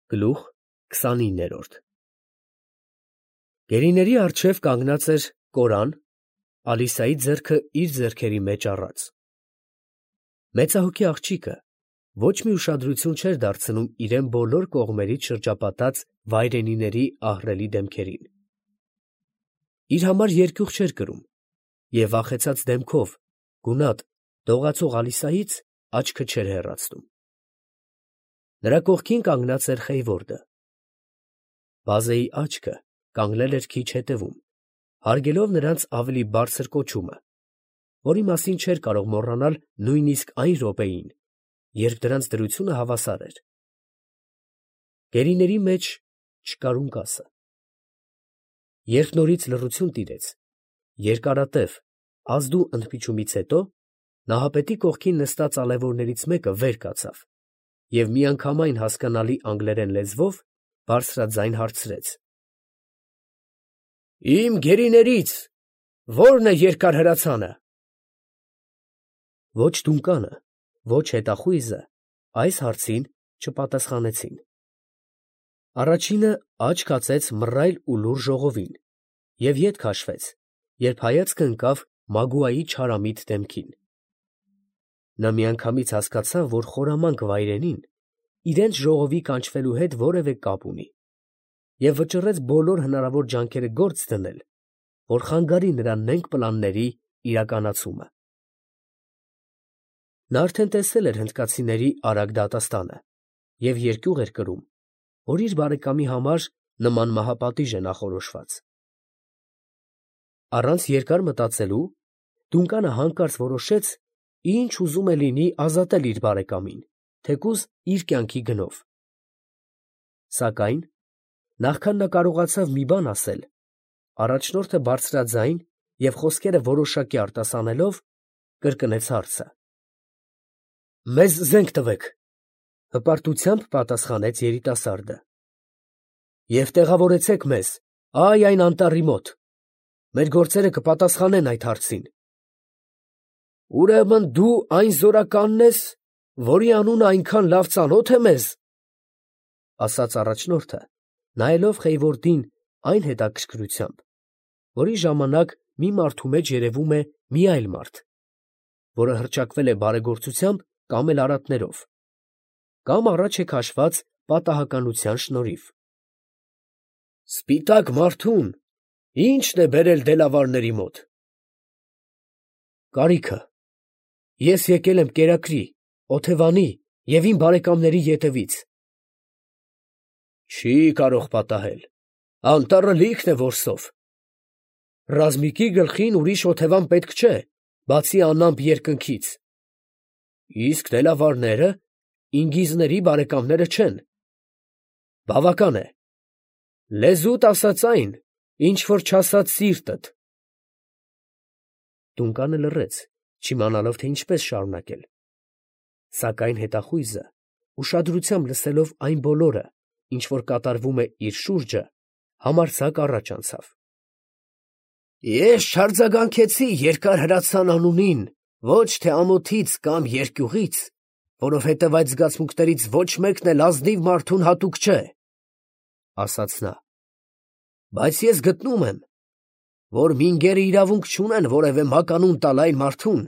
Գլուխ 29 Գերիների առջև կանգնած էր Կորան, Ալիսայի ձեռքը իր ձեռքերի մեջ առած։ Մեծահոգի աղջիկը ոչ մի ուշադրություն չէր դարձնում իրեն բոլոր կողմերից շրջապատած վայրենիների ահռելի դեմքերին։ Իր համար երկյուղ չէր կրում և վախեցած դեմքով գունատ, դողացող Ալիսայից աչքը չէր հեռացնում։ Նրա կողքին կանգնած էր Խեյվորդը։ Բազեի աչքը կանգնել էր քիչ հետևում, հարգելով նրանց ավելի բարձր կոչումը, որի մասին չէր կարող մոռանալ նույնիսկ այն րոպեին, երբ դրանց դրությունը հավասար էր։ Գերիների մեջ չկար ունկասը։ Երբ նորից լռություն տիրեց, երկարատև, ազդու ընդմիջումից հետո նահապետի կողքին նստած ալևորներից մեկը վեր կացավ և միանգամայն հասկանալի անգլերեն լեզվով բարձրաձայն հարցրեց. «Իմ գերիներից ո՞րն է երկար հրացանը»։ Ոչ Դունկանը, ոչ հետախույզը այս հարցին չպատասխանեցին։ Առաջինը աչք հացեց մռայլ ու լուռ ժողովին և ետ քաշվեց, երբ հայացքը ընկավ Մագուայի չարամիտ դեմքին։ Նա միանգամից հասկացավ, որ խորամանկ վայրենին իրենց ժողովի կանչվելու հետ որևէ կապ ունի, և վճռեց բոլոր հնարավոր ջանքերը գործ դնել, որ խանգարի նրա նենգ պլանների իրականացումը։ Նա արդեն տեսել էր հնդկացիների արագ դատաստանը և երկյուղ էր կրում, որ իր բարեկամի համար նման մահապատիժ է նախորոշված։ Առանց երկար մտածելու Դունկանը հանկարծ որոշեց ինչ ուզում է լինի ազատել իր բարեկամին, թեկուզ իր կյանքի գնով։ Սակայն նախքան նա կարողացավ մի բան ասել, առաջնորդը բարձրաձայն և խոսքերը որոշակի արտասանելով, կրկնեց հարցը։ «Մեզ զենք տվեք», ֊ հպարտությամբ պատասխանեց երիտասարդը, «և տեղավորեցեք մեզ այն անտառի մոտ. մեր գործերը կպատասխանեն այդ հարցին»։ «Ուրեմն դու այն զորականն ես, որի անունը այնքան լավ ծանոթ է մեզ», ֊ ասաց առաջնորդը, նայելով Խեյվորդին այն հետաքրքրությամբ, որի ժամանակ մի մարդու մեջ երևում է մի այլ մարդ, որը հռչակվել է բարեգործությամբ կամ էլ արատներով, կամ առաջ է քաշված պատահականության շնորհիվ։ «Սպիտակ մարդուն ի՞նչն է բերել դելավարների մոտ»։ «Կարիքը. ես եկել եմ կերակրի, օթևանի և իմ բարեկամների ետևից»։ «Չի կարող պատահել, անտառը լիքն է որսով»։ «Ռազմիկի գլխին ուրիշ օթևան պետք չէ, բացի անամպ երկնքից»։ «Իսկ դելավարները ինգիզների բարեկամները չեն»։ «Բավական է, լեզուդ ասած այն, ինչ որ չասաց սիրտդ»։ Դունկանը լռեց, չիմանալով, թե ինչպես շարունակել։ Սակայն հետախույզը, ուշադրությամբ լսելով այն բոլորը, ինչ որ կատարվում է իր շուրջը, համարձակ առաջ անցավ։ «Ես չարձագանքեցի երկար հրացան անունին ոչ թե ամոթից կամ երկյուղից, որովհետև այդ զգացմունքներից ոչ մեկն էլ ազնիվ մարդուն հատուկ չէ», ֊ ասաց նա, «բայց ես գտնում եմ, որ մինգերը իրավունք չունեն որևէ մականուն տալ այն մարդուն,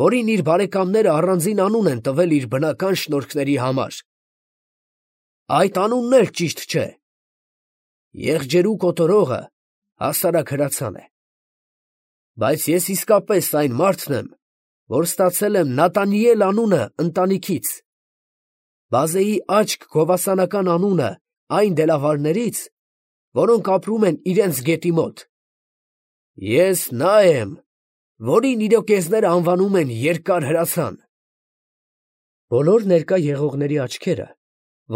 որին իր բարեկամները առանձին անուն են տվել իր բնական շնորհքների համար։ Այդ անունն էլ ճիշտ չէ։ Եղջերու կոտորողը հասարակ հրացան է։ Բայց ես իսկապես այն մարդն եմ, որ ստացել եմ Նատանիել անունը ընտանիքից, Բազեի աչք գովասանական անունը այն դելավարներից, որոնք ապրում են իրենց գետի մոտ։ Ես նա եմ, որին իրոկեզները անվանում են երկար հրացան»։ Բոլոր ներկա եղողների աչքերը,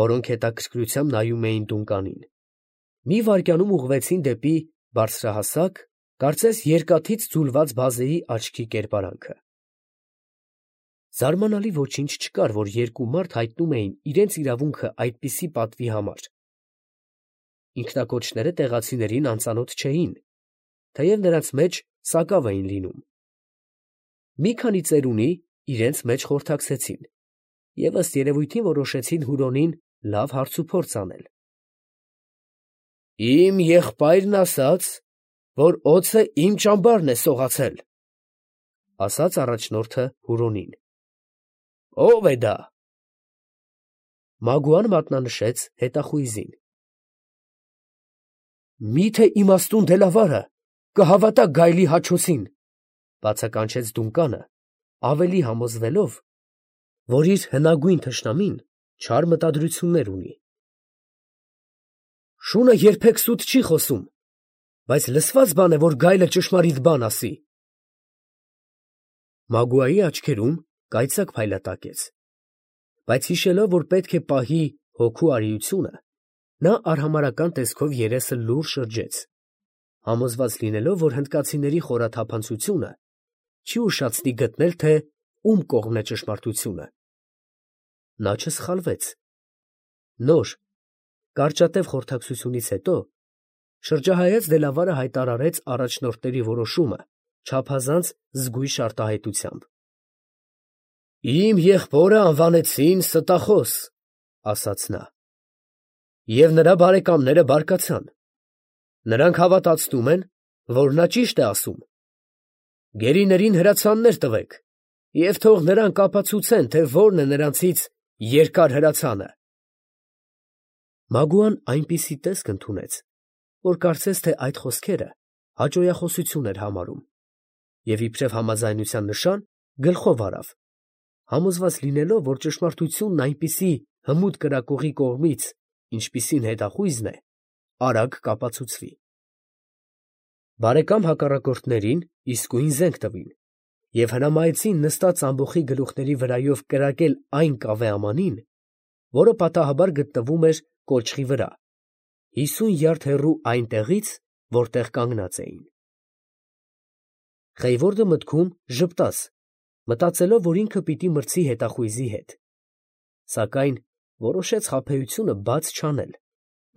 որոնք հետաքրքրությամբ նայում էին Դունկանին, մի վայրկյանում ուղղվեցին դեպի բարձրահասակ, կարծես երկաթից ձուլված Բազեի աչքի կերպարանքը։ Զարմանալի ոչինչ չկար, որ երկու մարդ հայտնում էին իրենց իրավունքը այդպիսի պատվի համար։ Ինքնակոչները տեղացիներին անծանոթ չէին, թեև նրանց մեջ սակավ էին լինում։ Մի քանի ծերունի իրենց մեջ խորհրդակցեցին և ըստ երևույթին որոշեցին Հուրոնին լավ հարցուփորձ անել։ Իմ եղբայրն ասաց, որ օձը իմ ճամբարն է սողացել, ասաց առաջնորդը Հուրոնին։ Ո՞վ է դա։ Մագուան մատնանշեց հետախույզին։ Միթե իմաստուն դելավարը կհավատա գայլի հաչոցին, բացականչեց Դունկանը, ավելի համոզվելով, որ իր հնագույն թշնամին չար մտադրություններ ունի։ Շունը երբեք սուտ չի խոսում, բայց լսված բան է, որ գայլը ճշմարիտ բան ասի։ Մագուայի աչքերում կայծակ փայլատակեց, բայց հիշելով, որ պետք է պահի հոգու արիությունը, նա արհամարհական տեսքով երեսը լուռ շրջեց, համոզված լինելով, որ հնդկացիների խորաթափանցությունը չի ուշացնի գտնել, թե ում կողմն է ճշմարտությունը։ Նա չսխալվեց։ Նոր, կարճատև խորհրդակցությունից հետո շրջահայաց դելավարը հայտարարեց առաջնորդների որոշումը չափազանց զգույշ արտահայտությամբ։ Իմ եղբորը անվանեցին ստախոս, ասաց նա, և նրա բարեկամները բարկացան։ Նրանք հավատացնում են, որ նա ճիշտ է ասում։ Գերիներին հրացաններ տվեք, և թող նրանք ապացուցեն, թե որն է նրանցից երկար հրացանը։ Մագուան այնպիսի տեսք ընդունեց, որ կարծես թե այդ խոսքերը հաճոյախոսություն էր համարում, և իբրև համաձայնության նշան գլխով արավ, համոզված լինելով, որ ճշմարտությունն այնպիսի հմուտ կրակողի կողմից, ինչպիսին հետախույզն է, արագ կապացուցվի։ Բարեկամ հակառակորդներին իսկույն զենք տվին, և հրամայեցին նստած ամբոխի գլուխների վրայով կրակել այն կավե ամանին, որը պատահաբար գտնվում էր կոճղի վրա, 50 յարդ հեռու այն տեղից, որտեղ կանգնած էին։ Խեյվորդը մտքում ժպտաց, մտածելով, որ ինքը պիտի մրցի հետախույզի հետ, սակայն որոշեց խաբեությունը բաց չանել,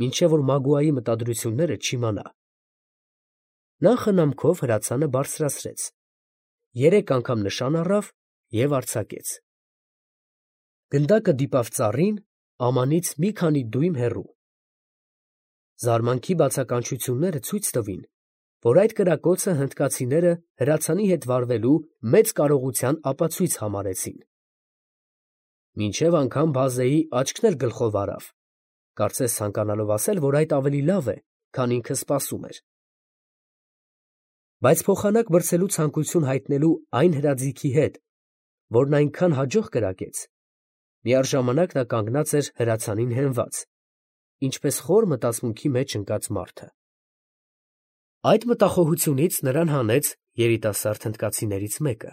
մինչև որ Մագուայի մտադրությունները չիմանա։ Նա խնամքով հրացանը բարձրացրեց, 3 անգամ նշան առավ և արձակեց։ Գնդակը դիպավ ծառին ամանից մի քանի դույմ հեռու։ Զարմանքի բացականչությունները ցույց տվին, որ այդ կրակոցը հնդկացիները հրացանի հետ վարվելու մեծ կարողության ապացույց համարեցին։ Մինչև անգամ բազեի աչքն էլ գլխով արավ, կարծես ցանկանալով ասել, որ այդ ավելի լավ է, քան ինքը սպասում էր։ Բայց փոխանակ մրցելու ցանկություն հայտնելու այն հրաձիգի հետ, որն այնքան հաջող կրակեց, միառժամանակ նա կանգնած էր հրացանին հենված, ինչպես խոր մտածմունքի մեջ ընկած մարդը։ Այդ մտախոհությունից նրան հանեց երիտասարդ հնդկացիներից մեկը։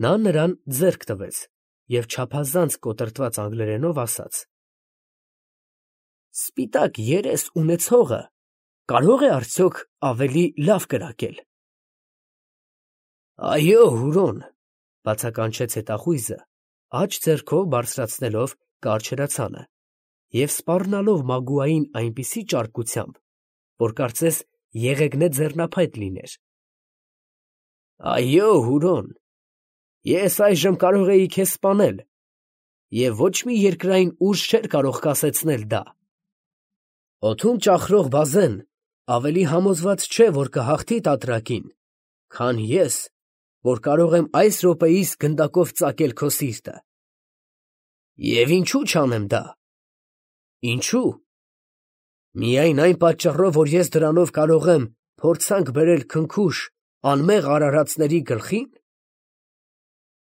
Նա նրան ձեռք տվեց և չափազանց կոտրտված անգլերենով ասաց. «Սպիտակ երես ունեցողը կարող է արդյոք ավելի լավ կրակել»։ Այո, Հուրոն, բացականչեց հետախույզը, աջ ձեռքով բարձրացնելով կարճ հրացանը և սպառնալով Մագուային այնպիսի ճարպկությամբ, որ կարծես եղեգնե ձեռնափայտ լիներ։ Այո, Հուրոն, ես այժմ կարող էի քեզ սպանել, և ոչ մի երկրային ուժ չէր կարող կասեցնել դա։ Օդում ճախրող բազեն ավելի համոզված չէ, որ կհաղթի տատրակին, քան ես, որ կարող եմ այս րոպեիս գնդակով ծակել քո սիրտը։ Եվ ինչու չանեմ դա։ Ինչու։ Միայն այն պատճառով, որ ես դրանով կարող եմ փորձանք բերել քնքուշ անմեղ արարածների գլխի՞ն։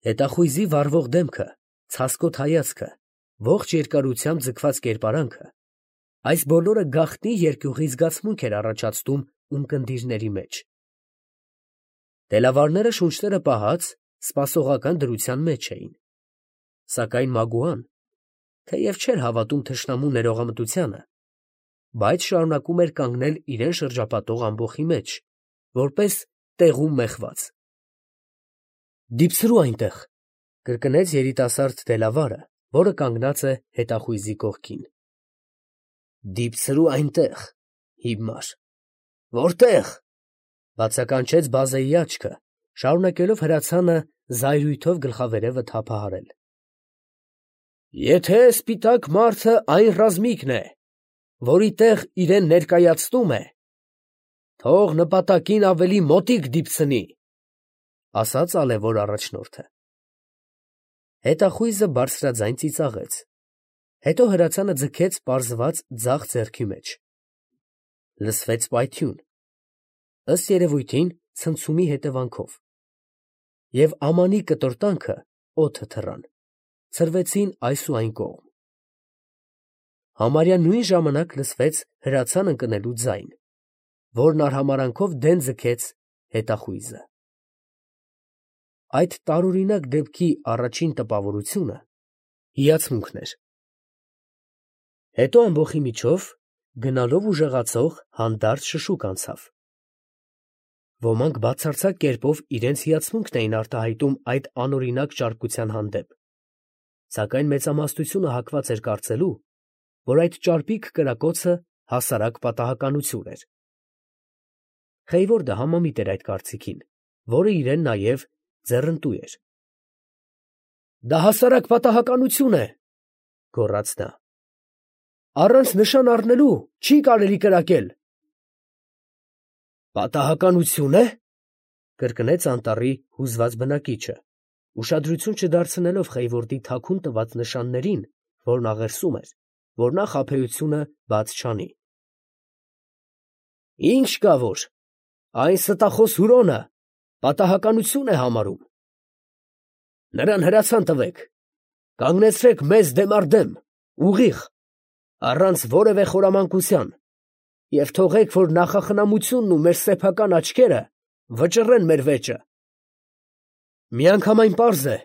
Հետախույզի վառվող դեմքը, ցասկոտ հայացքը, ողջ երկարությամբ ձգված կերպարանքը, այս բոլորը գաղտնի երկյուղի զգացմունք էր առաջացնում ունկնդիրների մեջ։ Դելավարները շունչները պահած սպասողական դրության մեջ էին, սակայն Մագուան, թեև չէր հավատում թշնամու ներողամտությանը, բայց շարունակում էր կանգնել իրան շրջապատող ամբոխի մեջ, որպես տեղում մեխված։ Դիպցրու այնտեղ, կրկնեց երիտասարդ դելավարը, որը կանգնած է հետախույզի կողքին։ Դիպցրու այնտեղ, հիմար։ Որտե՞ղ։ Բացականչեց բազեի աչքը, շարունակելով հրացանը զայրույթով գլխավերևը թափահարել։ Եթե սպիտակ մարդը այն ռազմիկն է, որի տեղ իրեն ներկայացնում է, թող նպատակին ավելի մոտիկ դիպցնի, ասաց ալևոր առաջնորդը։ Հետախույզը բարձրաձայն ծիծաղեց, հետո հրացանը ձգեց պարզված ձախ ձեռքի մեջ։ Լսվեց պայթյուն, ըստ երևույթին ցնցումի հետևանքով, և ամանի կտորտանքը օդը թռան, ցրվեցին այս ու այն կողմ։ Համարյա նույն ժամանակ լսվեց հրացան ընկնելու ձայն, որն արհամարհանքով դեն ձգեց հետախույզը։ Այդ տարօրինակ դեպքի առաջին տպավորությունը հիացմունքն էր։ Հետո ամբոխի միջով գնալով ուժեղացող հանդարտ շշուկ անցավ։ Ոմանք բացարձակ կերպով իրենց հիացմունքն էին արտահայտում այդ անօրինակ ճարպկության հանդեպ, սակայն մեծամասնությունը հակված էր կարծելու, որ այդ ճարպիկ կրակոցը հասարակ պատահականություն էր։ Խեյվորդը համամիտ էր այդ կարծիքին, որը իրեն նաև ձեռնտու էր։ «Դա հասարակ պատահականություն է», գոռաց նա։ «Առանց նշան առնելու չի կարելի կրակել»։ «Պատահականություն է», կրկնեց անտառի հուզված բնակիչը, ուշադրություն չդարձնելով Խեյվորդի թաքուն տված նշաններին, որն աղերսում էր, որ նա խաբեությունը բաց չանի։ «Ինչ կա որ, այն ստախոս Հուրոնը պատահականություն է համարում։ Նրան հրացան տվեք, կանգնեցրեք մեզ դեմ առ դեմ, ուղիղ, առանց որևէ խորամանկության, և թողեք, որ նախախնամությունն ու մեր սեփական աչքերը վճռեն մեր վեճը։ Միանգամայն պարզ է,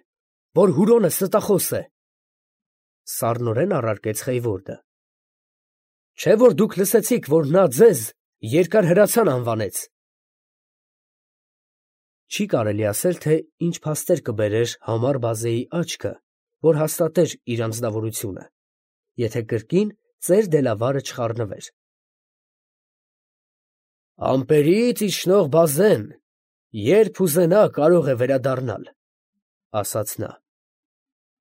որ Հուրոնը ստախոս է», սառնորեն առարկեց Խեյվորդը։ «Չէ՞ որ դուք լսեցիք, որ նա ձեզ երկար հրացան անվանեց»։ Չի կարելի ասել, թե ինչ փաստեր կբերեր համար բազեի աչքը, որ հաստատեր իր անձնավորությունը, եթե կրկին ծեր դելավարը չխառնվեր։ «Ամպերից իջնող բազեն երբ ուզենա կարող է վերադառնալ», ասաց նա։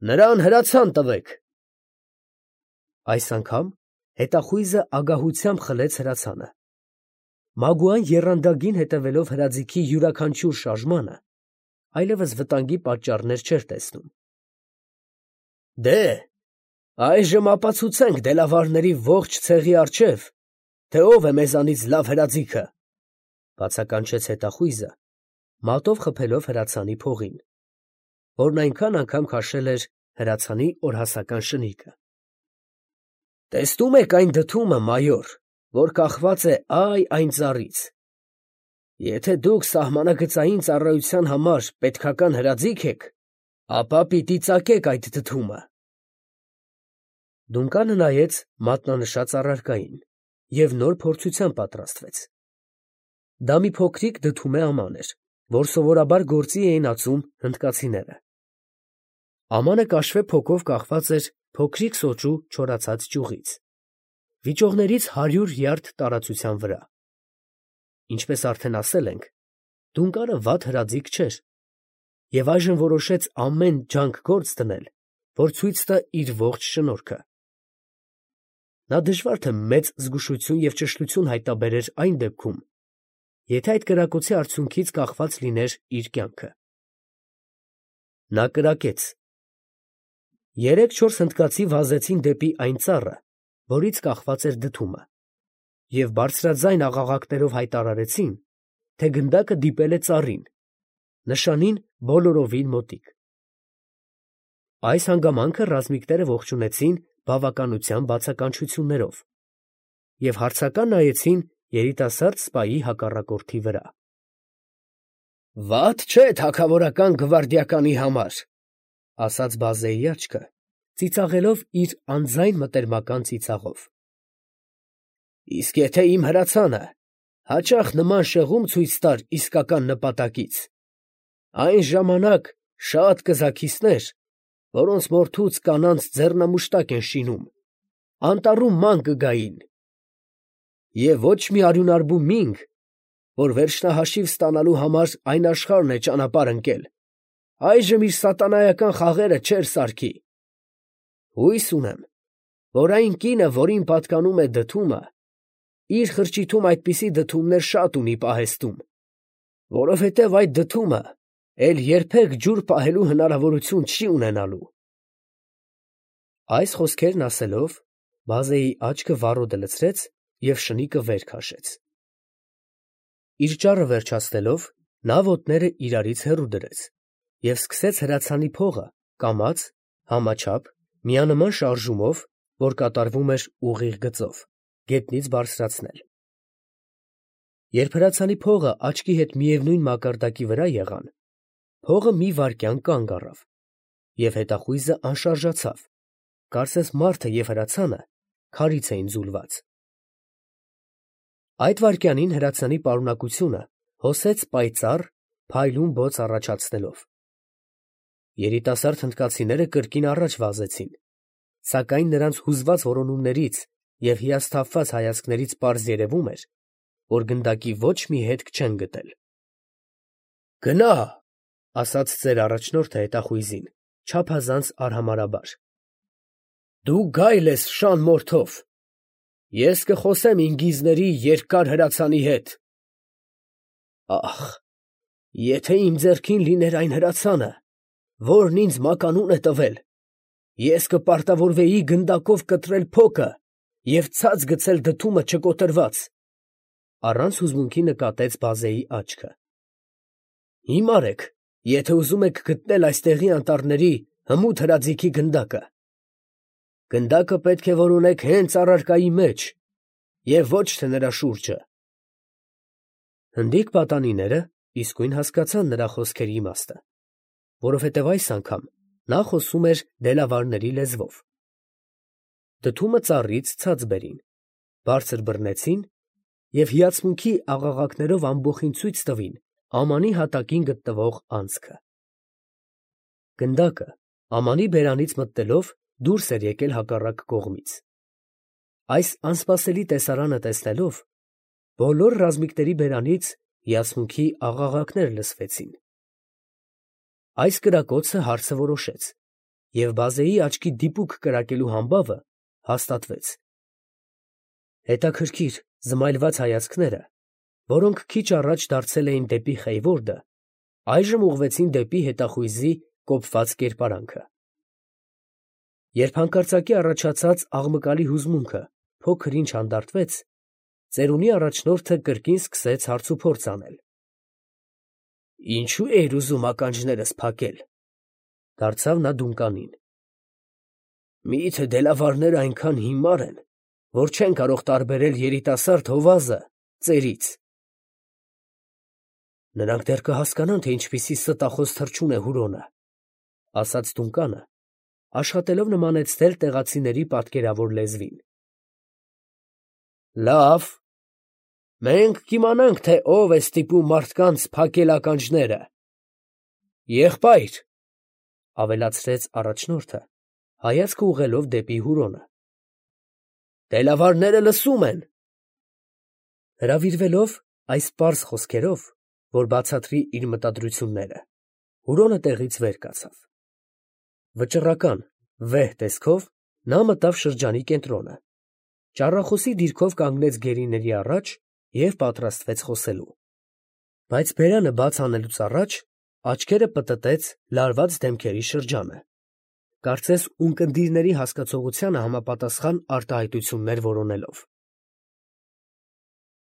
«Նրան հրացան տվեք»։ Այս անգամ հետախույզը ագահությամբ խլեց հրացանը։ Մագուան եռանդագին հետևելով հրաձիգի յուրաքանչյուր շարժմանը, այլևս վտանգի պատճառներ չէր տեսնում։ «Դե, այժմ ապացուցենք դելավարների ողջ ցեղի առջև, թե ով է մեզանից լավ հրաձիգը», բացականչեց հետախույզը, մատով խփելով հրացանի փողին, որն այնքան անգամ քաշել էր հրացանի օրհասական շնիկը։ «Տեսնում եք այն դդումը, մայոր, որ կախված է այն ծառից։ Եթե դուք սահմանագծային ծառայության համար պետքական հրաձիգ եք, ապա պիտի ծակեք այդ դդումը»։ Դունկանը նայեց մատնանշած առարկային և նոր փորձության պատրաստվեց։ Դա մի փոքրիկ դդումե աման էր, որ սովորաբար գործի էին ածում հնդկացիները։ Ամանը կաշվե փոկով կախված էր փոքրիկ սոճու չորացած ճյուղից, վիճողներից 100 յարդ տարածության վրա։ Ինչպես արդեն ասել ենք, Դունկանը վատ հրաձիգ չէր, և այժմ որոշեց ամեն ջանք գործ դնել, որ ցույց տա իր ողջ շնորհքը։ Նա դժվար թե մեծ զգուշություն և ճշտություն հայտնաբերեր այն դեպքում, եթե այդ կրակոցի արդյունքից կախված լիներ իր կյանքը։ Նա կրակեց։ 3-4 հնդկացի վազեցին դեպի այն ծառը, որից կախված էր դդումը, և բարձրաձայն աղաղակներով հայտարարեցին, թե գնդակը դիպել է ծառին, նշանին բոլորովին մոտիկ։ Այս հանգամանքը ռազմիկները ողջունեցին բավականության բացականչություններով և հարցական նայեցին երիտասարդ սպայի հակառակորդի վրա։ «Վատ չէ թագավորական գվարդիականի համար», ասաց բազեի աչքը, ծիծաղելով իր անձայն մտերմական ծիծաղով։ «Իսկ եթե իմ հրացանը հաճախ նման շեղում ցույց տար իսկական նպատակից, այն ժամանակ շատ կզաքիսներ, որոնց մորթուց կանանց ձեռնամուշտակ են շինում, անտառում ման կգային։ Եվ ոչ մի արյունարբու մինգ, որ վերջնահաշիվ ստանալու համար այն աշխարհն է ճանապարհ ընկել, այժմ իր սատանայական խաղերը չէր սարքի։ Հույս ունեմ, որ այն կինը, որին պատկանում է դդումը, իր խրճիթում այդպիսի դդումներ շատ ունի պահեստում, որովհետև այդ դդումը էլ երբեք ջուր պահելու հնարավորություն չի ունենալու։ Այս խոսքերն ասելով, Բազեի աչքը վառոդը լցրեց և շնիկը վեր քաշեց։ Իր ճառը վերջացնելով, նա ոտները իրարից հեռու դրեց և սկսեց հրացանի փողը կամաց, համաչափ, միանման շարժումով, որ կատարվում էր ուղիղ գծով, գետնից բարձրացնել։ Երբ հրացանի փողը աչքի հետ միևնույն մակարդակի վրա եղան, փողը մի վայրկյան կանգ առավ, և հետախույզը անշարժացավ, կարծես մարդը և հրացանը քարից էին ձուլված։ Այդ վայրկյանին հրացանի պարունակությունը հոսեց պայծառ, փայլուն բոց առաջացնելով։ Երիտասարդ հնդկացիները կրկին առաջ վազեցին, սակայն նրանց հուզված որոնումներից և հիասթափված հայացքներից պարզ երևում էր, որ գնդակի ոչ մի հետք չեն գտել։ «Գնա՛, ֊ ասաց ծեր առաջնորդը հետախույզին, չափազանց արհամարհաբար, ֊ դու գայլ ես շան մորթով, ես կխոսեմ ինգիզների երկար հրացանի հետ։ Ախ, եթե իմ ձեռքին լիներ այն հրացանը, որն ինձ մականուն է տվել, ես կպարտավորվեի գնդակով կտրել փոքը և ցած գցել դդումը չկոտրված, ֊ առանց հուզմունքի նկատեց Բազեի աչքը։ Հիմար եք, եթե ուզում եք գտնել այստեղի անտառների հմուտ հրաձիգի գնդակը։ Գնդակը պետք է որ ունեք հենց առարկայի մեջ և ոչ թե նրա շուրջը։ Հնդիկ պատանիները իսկույն հասկացան նրա խոսքերի իմաստը, որովհետև այս անգամ նա խոսում էր դելավարների լեզվով։ Դդումը ծառից ցած բերին, բարձր բռնեցին և հիացմունքի աղաղակներով ամբոխին ցույց տվին ամանի հատակին գտնվող անցքը։ Գնդակը ամանի բերանից մտնելով դուրս էր եկել հակառակ կողմից։ Այս անսպասելի տեսարանը տեսնելով, բոլոր ռազմիկների բերանից հիացմունքի աղաղակներ լսվեցին։ Այս կրակոցը հարցը որոշեց, և Բազեի աչքի դիպուկ կրակելու համբավը հաստատվեց։ Հետաքրքիր զմայլված հայացքները, որոնք քիչ առաջ դարձել էին դեպի Խեյվորդը, այժմ ուղղվեցին դեպի հետախույզի կոփված կերպարանքը։ Երբ հանկարծակի առաջացած աղմկալի հուզմունքը փոքր ինչ հանդարտվեց, ծերունի առաջնորդը կրկին սկսեց հարցուփորձ անել։ «Ինչո՞ւ էիր ուզում ականջներս փակել, ֊ դարձավ նա Դունկանին, ֊ մի՞թե դելավարները այնքան հիմար են, որ չեն կարող տարբերել երիտասարդ հովազը ծերից։ Նրանք դեռ կհասկանան, թե ինչպիսի ստախոս թռչուն է Հուրոնը, ֊ ասաց Դունկանը, աշխատելով նմանեցնել տեղացիների պատկերավոր լեզվին։ Լավ, մենք կիմանանք, թե ով է ստիպում մարդկանց փակել ականջները։ Եղբայր, ֊ ավելացրեց առաջնորդը, հայացքը ուղղելով դեպի Հուրոնը, ֊ դելավարները լսում են։ Հրավիրվելով այս պարզ խոսքերով, որ բացատրի իր մտադրությունները, Հուրոնը տեղից վեր կացավ։ Վճռական, վեհ տեսքով նա մտավ շրջանի կենտրոնը, ճառախոսի դիրքով կանգնեց գերիների առաջ և պատրաստվեց խոսելու։ Բայց բերանը բաց անելուց առաջ աչքերը պտտեց լարված դեմքերի շրջանը, կարծես ունկնդիրների հասկացողությանը համապատասխան արտահայտություններ որոնելով։